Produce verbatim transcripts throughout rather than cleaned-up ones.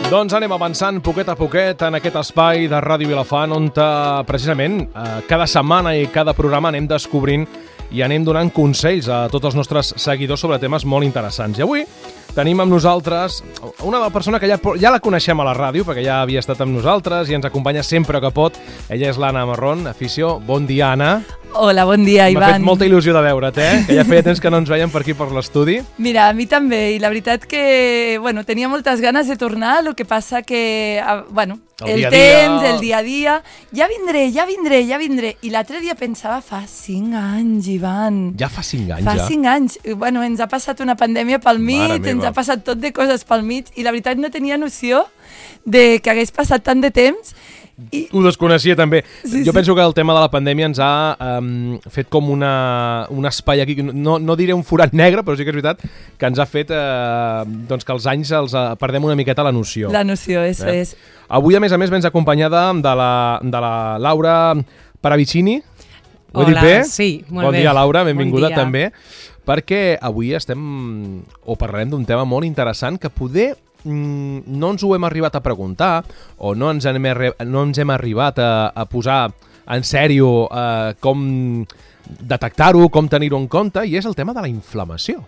Doncs anem avançant poquet a poquet en aquest espai de Ràdio Vilafant on eh, precisament eh, cada setmana i cada programa anem descobrint i anem donant consells a tots els nostres seguidors sobre temes molt interessants. I avui tenim amb nosaltres una persona que ja, ja la coneixem a la ràdio perquè ja havia estat amb nosaltres i ens acompanya sempre que pot. Ella és l'Anna Marrón, afició. Bon dia, Anna. Hola, bon dia, Ivan. M'ha fet molta il·lusió de veure't, eh? Que ja feia temps que no ens veiem per aquí per l'estudi. Mira, a mi també, i la veritat que, bueno, tenia moltes ganes de tornar, el que passa que, bueno, el, el temps, el dia a dia, ja vindré, ja vindré, ja vindré. I l'altre dia pensava, fa cinc anys, Ivan. Ja fa cinc anys, fa ja? Fa cinc anys. Bueno, ens ha passat una pandèmia pel mig, ens ha passat tot de coses pel mig, i la veritat no tenia noció de que hagués passat tant de temps. I... Ho desconeixia també. Sí, jo sí. penso que el tema de la pandèmia ens ha um, fet com una, un espai aquí, no, no diré un forat negre, però sí que és veritat que ens ha fet uh, doncs que els anys els uh, perdem una miqueta la noció. La noció, això eh? és. Avui, a més a més, vens acompanyada de la, de la Laura Paravicini. Ho he dit bé? Sí, molt bon bé. Bon dia, Laura, benvinguda bon dia. també, perquè avui estem, o parlarem d'un tema molt interessant que poder no ens ho hem arribat a preguntar o no ens hem, no ens hem arribat a, a posar en sèrio eh, com detectar-ho, com tenir-ho en compte, i és el tema de la inflamació.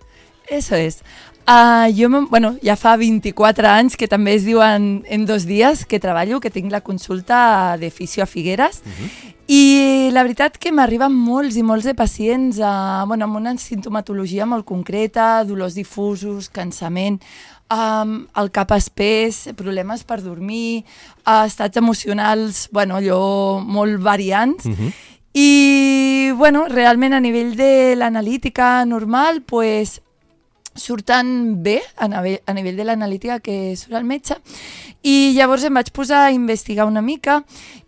Eso es. Uh, jo, bueno, ja fa vint-i-quatre anys que també es diuen en dos dies que treballo, que tinc la consulta de fisio a Figueres, uh-huh. I la veritat que m'arriben molts i molts de pacients uh, bueno, amb una sintomatologia molt concreta, dolors difusos, cansament, um, el cap espès, problemes per dormir, uh, estats emocionals, bueno, allò molt variants, uh-huh. I bueno, realment a nivell de l'analítica normal, pues, surten bé a nivell, a nivell de l'analítica que surt el metge, i llavors em vaig posar a investigar una mica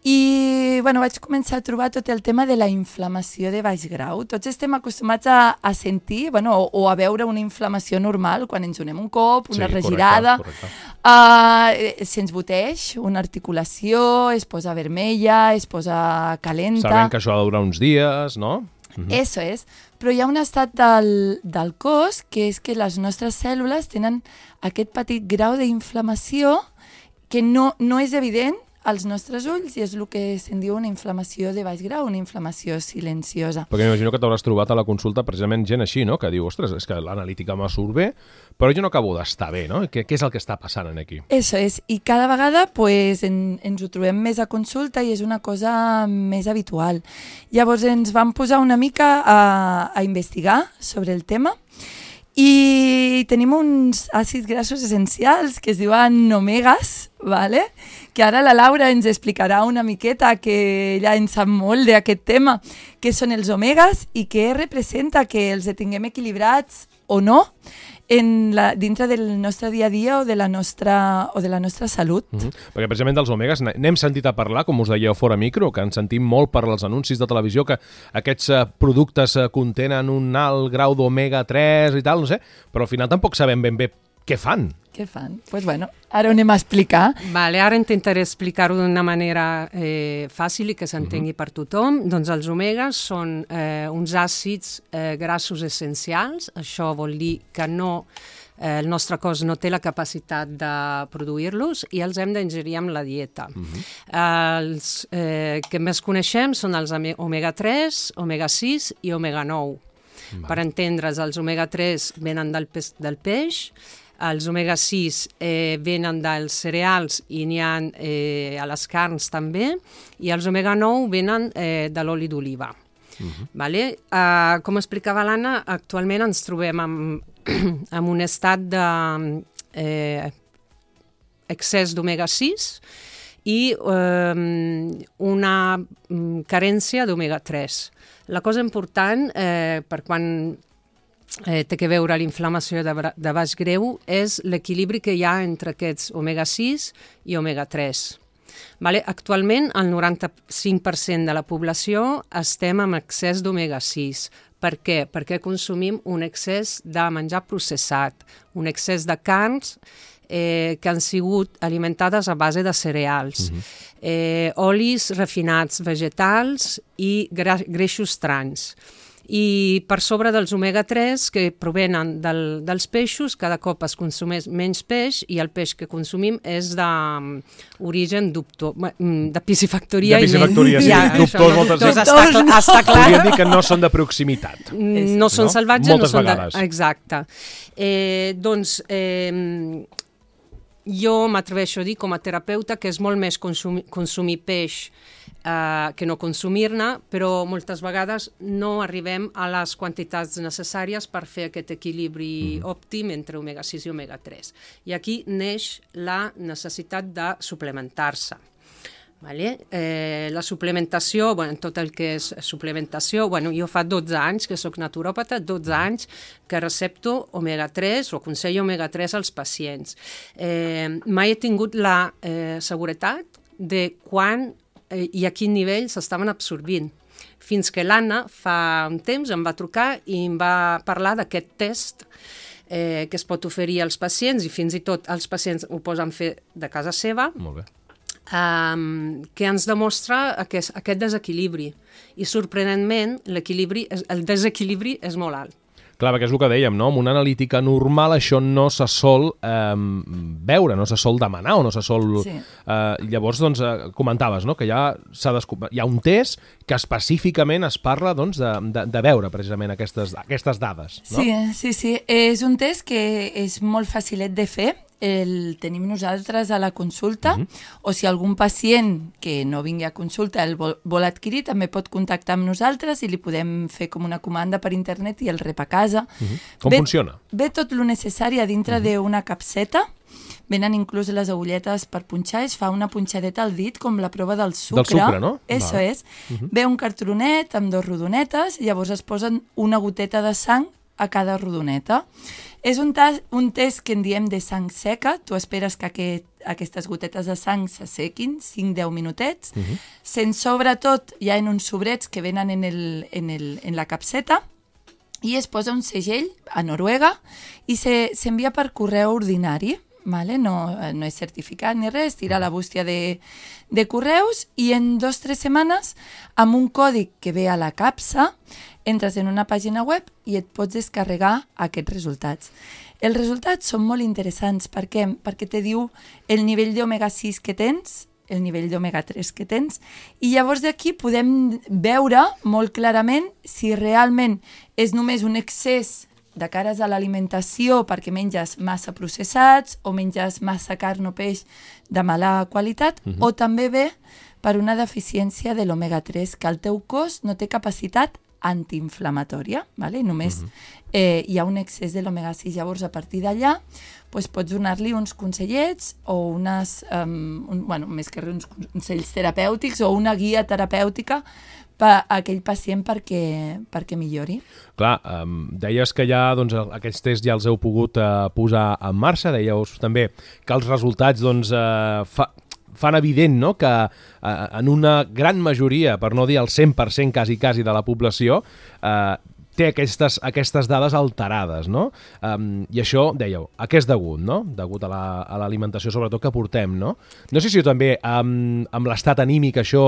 i bueno, vaig començar a trobar tot el tema de la inflamació de baix grau. Tots estem acostumats a, a sentir bueno, o, o a veure una inflamació normal quan ens donem un cop, una sí, regirada, correcte, correcte. Uh, se'ns boteix una articulació, es posa vermella, es posa calenta. Sabem que això ha de durar uns dies, no? Uh-huh. Eso és, però hi ha un estat del, del cos que és que les nostres cèl·lules tenen aquest petit grau d'inflamació que no, no és evident als nostres ulls i és el que se'n diu una inflamació de baix grau, una inflamació silenciosa. Perquè m'imagino que t'hauràs trobat a la consulta precisament gent així, no? Que diu, ostres, és que l'analítica me surt bé, però jo no acabo d'estar bé, no? Què, què és el que està passant aquí? Eso és, i cada vegada pues, en, ens ho trobem més a consulta i és una cosa més habitual. Llavors ens vam posar una mica a, a investigar sobre el tema i tenim uns àcids grassos essencials que es diuen omegas, ¿vale? Que ara la Laura ens explicarà una miqueta, que ella en sap molt d'aquest tema, què són els omegas i què representa que els tinguem equilibrats o no en la, dintre del nostre dia a dia o de la nostra, o de la nostra salut. Uh-huh. Perquè precisament dels omegas n'hem sentit a parlar, com us dèieu fora micro, que en sentim molt per als anuncis de televisió, que aquests uh, productes uh, contenen un alt grau d'omega tres i tal, no sé, però al final tampoc sabem ben bé què fan. Què fan? Doncs pues bueno, ara ho anem a explicar. Vale, ara intentaré explicar-ho d'una manera eh, fàcil i que s'entengui uh-huh. per tothom. Doncs els omegas són eh, uns àcids eh, grassos essencials. Això vol dir que no, eh, el nostre cos no té la capacitat de produir-los i els hem d'ingerir amb la dieta. Uh-huh. Els eh, que més coneixem són els omega tres, omega sis i omega nou. Uh-huh. Per entendre's, els omega tres venen del, pes, del peix, els omega sis eh, venen dels cereals i n'hi ha eh, a les carns també, i els omega nou venen eh, de l'oli d'oliva. Uh-huh. Vale? Uh, com explicava l'Anna, actualment ens trobem amb, amb un estat de eh, excés d'omega sis i eh, una carència d'omega tres. La cosa important eh, per quan Eh, té que veure l'inflamació de, de baix greu és l'equilibri que hi ha entre aquests omega sis i omega tres. Vale? Actualment, el noranta-cinc per cent de la població estem amb excés d'omega sis. Per què? Perquè consumim un excés de menjar processat, un excés de carns eh, que han sigut alimentades a base de cereals, uh-huh. eh, olis refinats vegetals i gra- greixos trans. I per sobre dels omega tres que provenen del, dels peixos, cada cop es consumeix menys peix i el peix que consumim és d'origen dubtós, de piscifactoria. De piscifactoria, sí, ja, dubtós no, moltes dubtós, vegades. Està, clar, està clar. Podríem dir que no són de proximitat. No són no? salvatges, moltes no són vegades. de... Exacte. Eh, doncs... Eh, jo m'atreveixo a dir com a terapeuta que és molt més consumir, consumir peix eh, que no consumir-ne, però moltes vegades no arribem a les quantitats necessàries per fer aquest equilibri mm. òptim entre omega sis i omega tres. I aquí neix la necessitat de suplementar-se. Vale? Eh, la suplementació, bueno, tot el que és suplementació, bueno, jo fa dotze anys que soc naturòpata, dotze anys que recepto omega tres o aconsello omega tres als pacients. Eh, mai he tingut la eh, seguretat de quan eh, i a quin nivell s'estaven absorbint. Fins que l'Anna fa un temps em va trucar i em va parlar d'aquest test eh, que es pot oferir als pacients i fins i tot els pacients ho posen fer de casa seva. Molt bé. Um, que ens demostra aquest, aquest desequilibri i sorprenentment l'equilibri, el desequilibri és molt alt. Clar, perquè és el que dèiem, no? Amb una analítica normal això no se sol eh, veure, no se sol demanar o no se sol... Sí. Eh, llavors, doncs, eh, comentaves, no?, que ja s'ha descobert... Hi ha un test que específicament es parla, doncs, de, de, de veure precisament aquestes, aquestes dades, no? Sí, sí, sí. És un test que és molt facilet de fer. El tenim nosaltres a la consulta, uh-huh. o si algun pacient que no vingui a consulta el vol, vol adquirir, també pot contactar amb nosaltres i li podem fer com una comanda per internet i el rep a casa. Uh-huh. Com ve, funciona? Ve tot el necessari a dintre uh-huh. d'una capseta, venen inclús les agulletes per punxar, es fa una punxadeta al dit com la prova del sucre. Del sucre, no? Eso Va. és. Uh-huh. Ve un cartronet amb dos rodonetes, llavors es posen una goteta de sang a cada rodoneta. És un, un test que en diem de sang seca. Tu esperes que aquest, aquestes gotetes de sang s'assequin, cinc a deu minutets. Uh-huh. Se'n sobretot ja en uns sobrets que venen en, el, en, el, en la capseta i es posa un segell a Noruega i s'envia se, per correu ordinari. Vale? No, no és certificat ni res, tira la bústia de, de correus i en dos o tres setmanes, amb un còdig que ve a la capsa, entres en una pàgina web i et pots descarregar aquests resultats. Els resultats són molt interessants. Per què? Perquè te diu el nivell d'omega sis que tens, el nivell d'omega tres que tens, i llavors d'aquí podem veure molt clarament si realment és només un excés de cares a l'alimentació perquè menges massa processats o menges massa carn o peix de mala qualitat, uh-huh. o també ve per una deficiència de l'omega tres, que el teu cos no té capacitat antiinflamatòria, vale? Només uh-huh. eh, hi ha un excés de l'omega sis. Llavors, a partir d'allà, pues, pots donar-li uns consellets o unes, um, un, bueno, més que res, uns consells terapèutics o una guia terapèutica per a aquell pacient perquè, perquè millori. Clar, um, deies que ja doncs, aquests tests ja els heu pogut uh, posar en marxa, dèieu també que els resultats doncs, uh, fa, fan evident, no?, que uh, en una gran majoria, per no dir el cent per cent quasi, quasi de la població, uh, té aquestes, aquestes dades alterades, no? Um, I això, dèieu, a què és degut, no? Degut a l'alimentació, la, sobretot, que portem, no? No sé si també um, amb l'estat anímic això...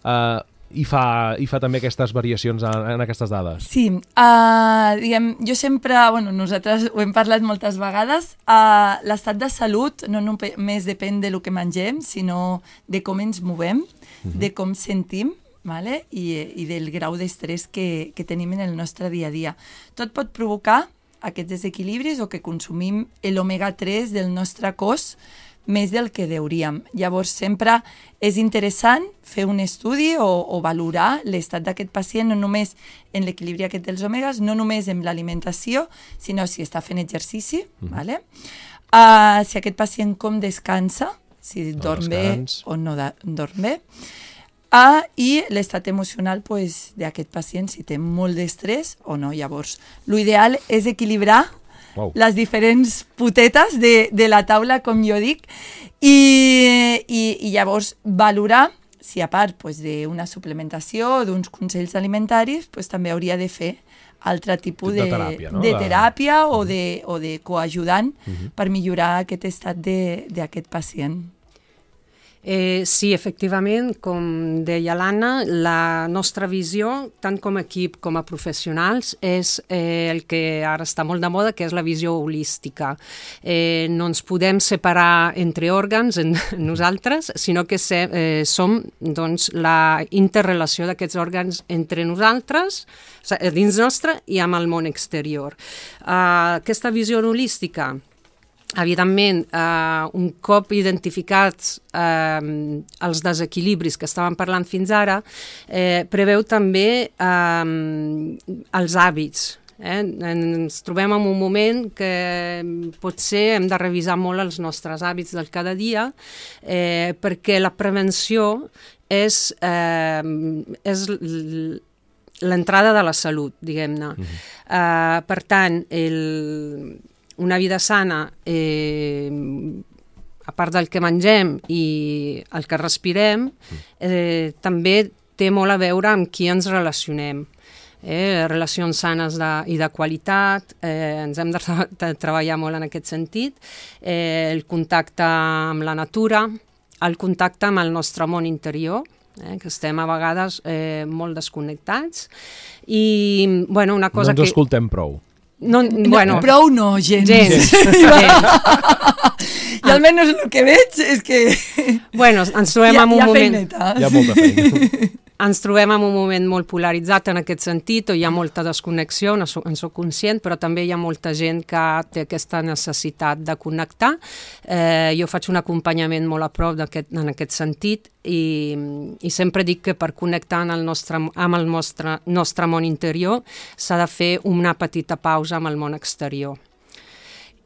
Uh, I fa, i fa també aquestes variacions en, en aquestes dades. Sí, uh, diguem, jo sempre, bueno, nosaltres ho hem parlat moltes vegades, uh, l'estat de salut no només depèn de lo que mengem, sinó de com ens movem, uh-huh. de com sentim, vale? I, i del grau d'estrès que, que tenim en el nostre dia a dia. Tot pot provocar aquests desequilibris o que consumim l'omega tres del nostre cos més del que deuríem. Llavors, sempre és interessant fer un estudi o, o valorar l'estat d'aquest pacient, no només en l'equilibri aquest dels omegas, no només en l'alimentació, sinó si està fent exercici, mm. vale? uh, si aquest pacient com descansa, si no dorm descans. bé o no da, dorm bé, uh, i l'estat emocional pues, d'aquest pacient, si té molt d'estrès o no. Llavors, l'ideal és equilibrar Wow. les diferents potetes de, de la taula, com jo dic, i, i, i llavors valorar si a part pues, d'una suplementació o d'uns consells alimentaris pues, també hauria de fer altre tipus de, de teràpia, no? de teràpia de... o, de, o de coajudant uh-huh. per millorar aquest estat d'aquest pacient. Eh, sí, efectivament, com deia l'Anna, la nostra visió, tant com a equip com a professionals, és eh, el que ara està molt de moda, que és la visió holística. Eh, no ens podem separar entre òrgans, en nosaltres, sinó que se, eh, som doncs, la interrelació d'aquests òrgans entre nosaltres, dins nostre i amb el món exterior. Uh, aquesta visió holística, evidentment, eh, un cop identificats eh, els desequilibris que estàvem parlant fins ara, eh, preveu també eh, els hàbits. Eh? Ens trobem en un moment que potser hem de revisar molt els nostres hàbits del cada dia, eh, perquè la prevenció és, eh, és l'entrada de la salut, diguem-ne. Uh-huh. Eh, per tant, el... una vida sana, eh, a part del que mengem i el que respirem, eh, també té molt a veure amb qui ens relacionem. Eh, relacions sanes de, i de qualitat, eh, ens hem de, tra de treballar molt en aquest sentit, eh, el contacte amb la natura, el contacte amb el nostre món interior, eh, que estem a vegades eh, molt desconnectats, i bueno, una cosa que... No ens que... escoltem prou. No, bueno, no, prou no, gens. Gens. I almenys el que veig és que... Bueno, ens trobem en un hi ha moment... Feineta. Hi ha molta feina. Ens trobem en un moment molt polaritzat en aquest sentit, on hi ha molta desconnexió, en soc conscient, però també hi ha molta gent que té aquesta necessitat de connectar. Eh, jo faig un acompanyament molt a prop en aquest sentit i, i sempre dic que per connectar en el nostre, amb el nostre, nostre món interior s'ha de fer una petita pausa amb el món exterior.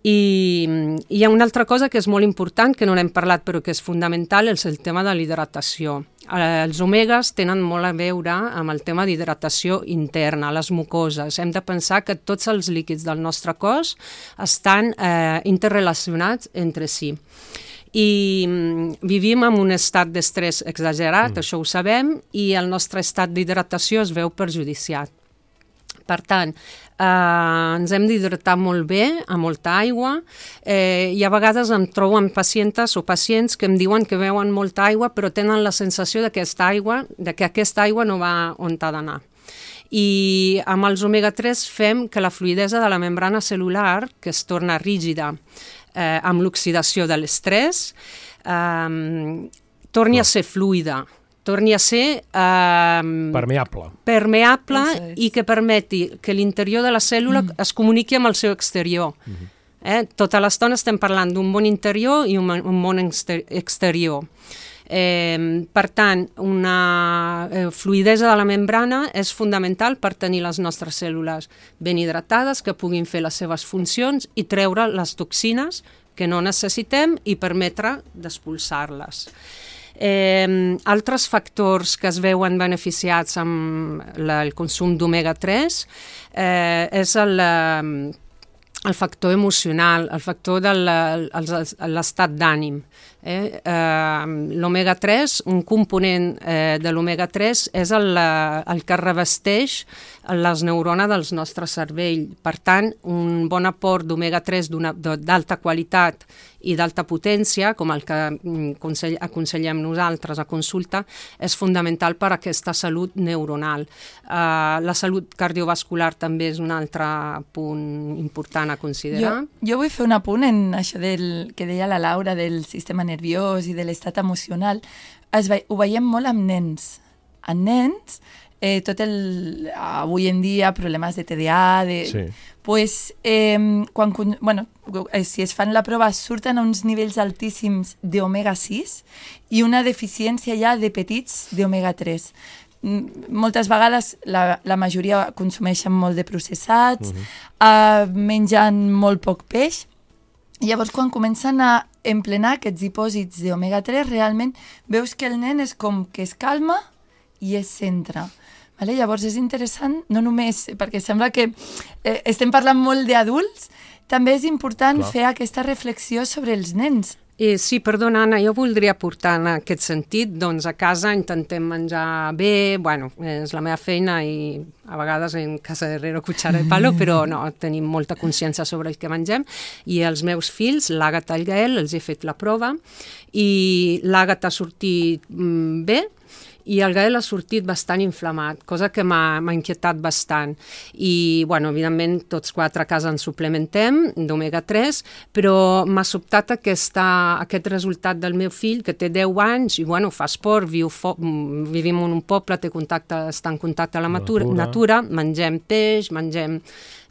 I hi ha una altra cosa que és molt important, que no n'hem parlat però que és fundamental, és el tema de l'hidratació. Els omegues tenen molt a veure amb el tema d'hidratació interna, les mucoses. Hem de pensar que tots els líquids del nostre cos estan eh, interrelacionats entre si. I vivim en un estat d'estrès exagerat, mm. això ho sabem, i el nostre estat d'hidratació es veu perjudiciat. Per tant, eh, ens hem d'hidratar molt bé, amb molta aigua, eh, i a vegades em trobo amb pacientes o pacients que em diuen que beuen molta aigua però tenen la sensació d'aquesta aigua, de que aquesta aigua no va on ha d'anar. I amb els omega tres fem que la fluïdesa de la membrana cel·lular, que es torna rígida eh, amb l'oxidació de l'estrès, eh, torni a ser fluida, torni a ser eh, permeable, permeable i que permeti que l'interior de la cèl·lula mm. es comuniqui amb el seu exterior. Mm-hmm. eh? Tota l'estona estem parlant d'un món interior i un, un món exterior. Eh, per tant, una eh, fluïdesa de la membrana és fundamental per tenir les nostres cèl·lules ben hidratades, que puguin fer les seves funcions i treure les toxines que no necessitem i permetre d'expulsar-les. Eh, altres factors que es veuen beneficiats amb la, el consum d'omega tres eh, és el, el factor emocional, el factor de l'estat d'ànim. Eh? Eh, l'omega tres, un component eh, de l'omega tres és el, el que revesteix les neurones dels nostres cervell. Per tant, un bon aport d'omega tres d'alta qualitat i d'alta potència, com el que aconsellem nosaltres a consulta, és fundamental per a aquesta salut neuronal. Uh, la salut cardiovascular també és un altre punt important a considerar. Jo, jo vull fer un apunt en això del, que deia la Laura del sistema nerviós i de l'estat emocional. Es ve, ho veiem molt amb nens. En nens, eh, tot el... avui en dia, problemes de T D A, de... Sí. Pues, eh, quan, bueno, si es fan la prova, surten a uns nivells altíssims d'omega sis i una deficiència ja de petits d'omega tres. Moltes vegades la, la majoria consumeixen molt de processats, uh-huh. eh, mengen molt poc peix. Llavors, quan comencen a emplenar aquests dipòsits d'omega tres, realment veus que el nen és com que es calma i es centra. Vale? Llavors és interessant, no només perquè sembla que eh, estem parlant molt d'adults, també és important Clar. fer aquesta reflexió sobre els nens. Eh, sí, perdona, Anna, jo voldria aportar en aquest sentit, doncs a casa intentem menjar bé, bueno, és la meva feina i a vegades en casa de herrero cuchara de palo, però no, tenim molta consciència sobre el que mengem, i els meus fills, l'Àgata i el Gael, els he fet la prova, i l'Àgata ha sortit mm, bé, i el Gael ha sortit bastant inflamat, cosa que m'ha inquietat bastant. I, bueno, evidentment, tots quatre a casa ens suplementem d'omega tres, però m'ha sobtat aquesta, aquest resultat del meu fill, que té deu anys, i, bueno, fa esport, viu fo vivim en un poble, té contacte, està en contacte amb la natura, natura, mengem peix, mengem...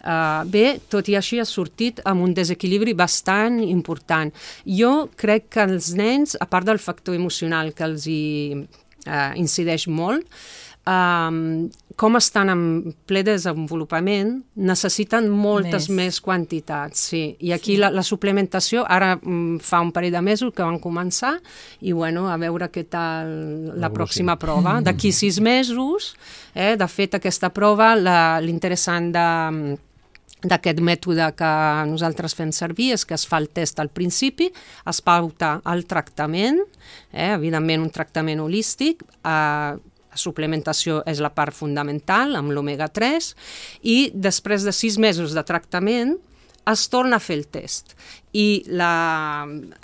Uh, bé, tot i així ha sortit amb un desequilibri bastant important. Jo crec que els nens, a part del factor emocional que els hi uh, incideix molt, um, com estan en ple desenvolupament, necessiten moltes més, més quantitats. Sí. I aquí sí. la, la suplementació, ara um, fa un parell de mesos que van començar, i bueno, a veure què tal la pròxima prova. D'aquí sis mesos, eh, de fet, aquesta prova, l'interessant de... d'aquest mètode que nosaltres fem servir és que es fa el test al principi, es pauta el tractament, eh, evidentment un tractament holístic, eh, la suplementació és la part fundamental amb l'omega tres, i després de sis mesos de tractament es torna a fer el test. I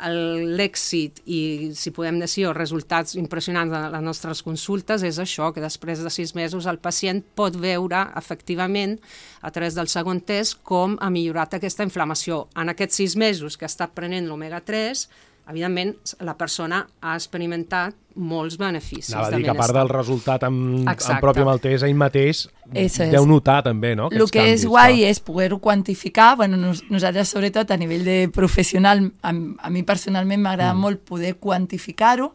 l'èxit i, si podem dir, els resultats impressionants de les nostres consultes és això, que després de sis mesos el pacient pot veure efectivament a través del segon test com ha millorat aquesta inflamació. En aquests sis mesos que ha estat prenent l'omega tres, evidentment la persona ha experimentat molts beneficis. Anava a dir que a part del resultat en, en propi amb el test, ell mateix Eso deu es. notar també, no? El que canvis, és guai clar. És poder-ho quantificar. Bueno, nos, nosaltres, sobretot, a nivell de professional, a, a mi personalment m'agrada mm. molt poder quantificar-ho,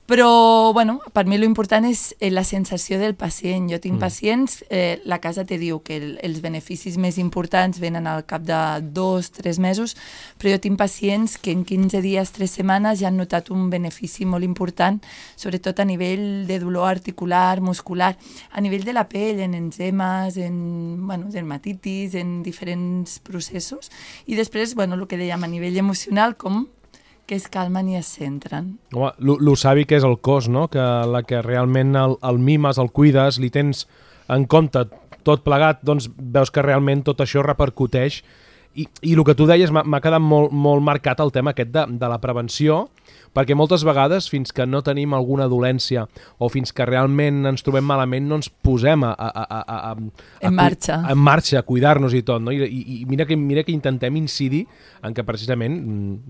però, bueno, per mi l'important és la sensació del pacient. Jo tinc mm. pacients, eh, la casa te diu que el, els beneficis més importants venen al cap de dos, tres mesos, però jo tinc pacients que en quinze dies, tres setmanes ja han notat un benefici molt important, sobretot a nivell de dolor articular, muscular, a nivell de la pell, en enzemes, en bueno, dermatitis, en diferents processos. I després, bueno, el que dèiem a nivell emocional, com que es calmen i es centren. Home, lo savi que és el cos, no? Que la que realment el, el mimes, el cuides, li tens en compte tot plegat, doncs veus que realment tot això repercuteix. I, i el que tu deies m'ha quedat molt, molt marcat el tema aquest de, de la prevenció, perquè moltes vegades, fins que no tenim alguna dolència o fins que realment ens trobem malament, no ens posem a, a, a, a, a, en marxa a, en marxa, a cuidar-nos i tot, no? I, i, i mira, que, mira que intentem incidir en que precisament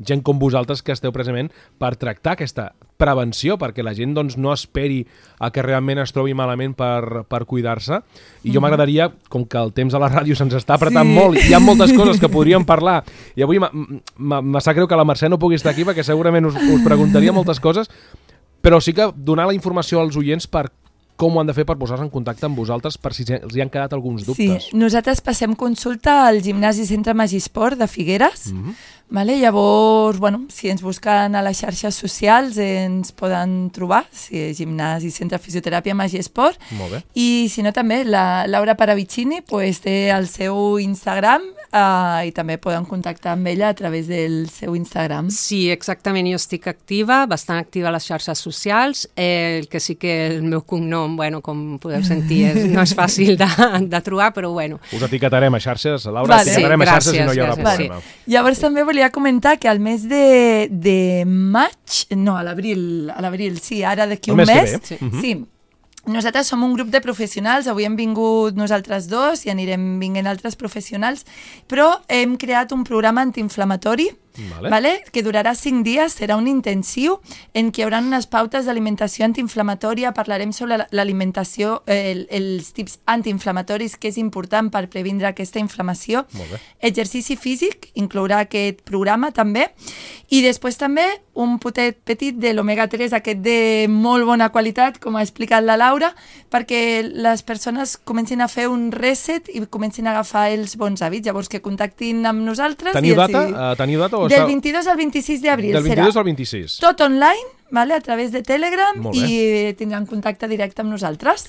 gent com vosaltres que esteu precisament per tractar aquesta prevenció, perquè la gent doncs, no esperi a que realment es trobi malament per, per cuidar-se. I jo m'agradaria, com que el temps a la ràdio se'ns està apretant sí. molt, hi ha moltes coses que podríem parlar, i avui me sap greu que la Mercè no pugui estar aquí, perquè segurament us, us preguntaria moltes coses, però sí que donar la informació als oients per com ho han de fer per posar-se en contacte amb vosaltres, per si els hi han quedat alguns dubtes. Sí, nosaltres passem consulta al Gimnàs i Centre Magisport de Figueres. Mm-hmm. Vale? Llavors, bueno, si ens busquen a les xarxes socials ens poden trobar, si és Gimnàs i Centre Fisioteràpia Magisport. Molt bé. I si no també, la Laura Paravicini pues, té el seu Instagram uh, i també poden contactar amb ella a través del seu Instagram. Sí, exactament, jo estic activa, bastant activa a les xarxes socials, eh, el que sí que el meu cognom, bueno, com podeu sentir, és, no és fàcil de, de trobar, però bueno. Us etiquetarem a xarxes, Laura, vale. etiquetarem sí, a xarxes gràcies, i no hi haurà gràcies, problema. Vale. Llavors també volia comentar que al mes de, de maig, no, a l'abril, a l'abril, sí, ara d'aquí un mes, sí. sí, nosaltres som un grup de professionals, avui hem vingut nosaltres dos i anirem vinguent altres professionals, però hem creat un programa antiinflamatori, Vale. Vale? que durarà cinc dies, serà un intensiu en què hi haurà unes pautes d'alimentació antiinflamatòria, parlarem sobre l'alimentació, el, els tips antiinflamatoris, que és important per previndre aquesta inflamació. Exercici físic, inclourà aquest programa també, i després també un potet petit de l'omega tres, aquest de molt bona qualitat, com ha explicat la Laura, perquè les persones comencin a fer un reset i comencin a agafar els bons hàbits, llavors que contactin amb nosaltres. Teniu data? Uh, teniu data? O del vint-i-dos al vint-i-sis d'abril serà. Del vint-i-dos al vint-i-sis. Tot online, vale, a través de Telegram, i tindran contacte directe amb nosaltres.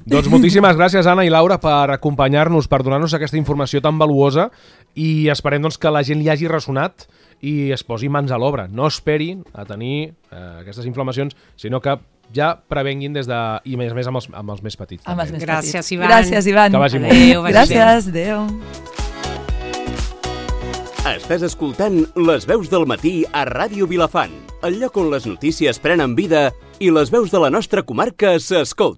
Doncs moltíssimes gràcies, Anna i Laura, per acompanyar-nos, per donar-nos aquesta informació tan valuosa, i esperem doncs, que la gent li hagi ressonat i es posi mans a l'obra. No esperin a tenir eh, aquestes inflamacions, sinó que ja prevenguin des de... i més a més amb els, amb els més petits. Amb els més Gràcies, petits. Ivan. Gràcies, Ivan. Que vagi molt. Adéu, vagi bé. Gràcies, adéu. Estàs escoltant Les veus del matí a Ràdio Vilafant, el lloc on les notícies prenen vida i les veus de la nostra comarca s'escolten.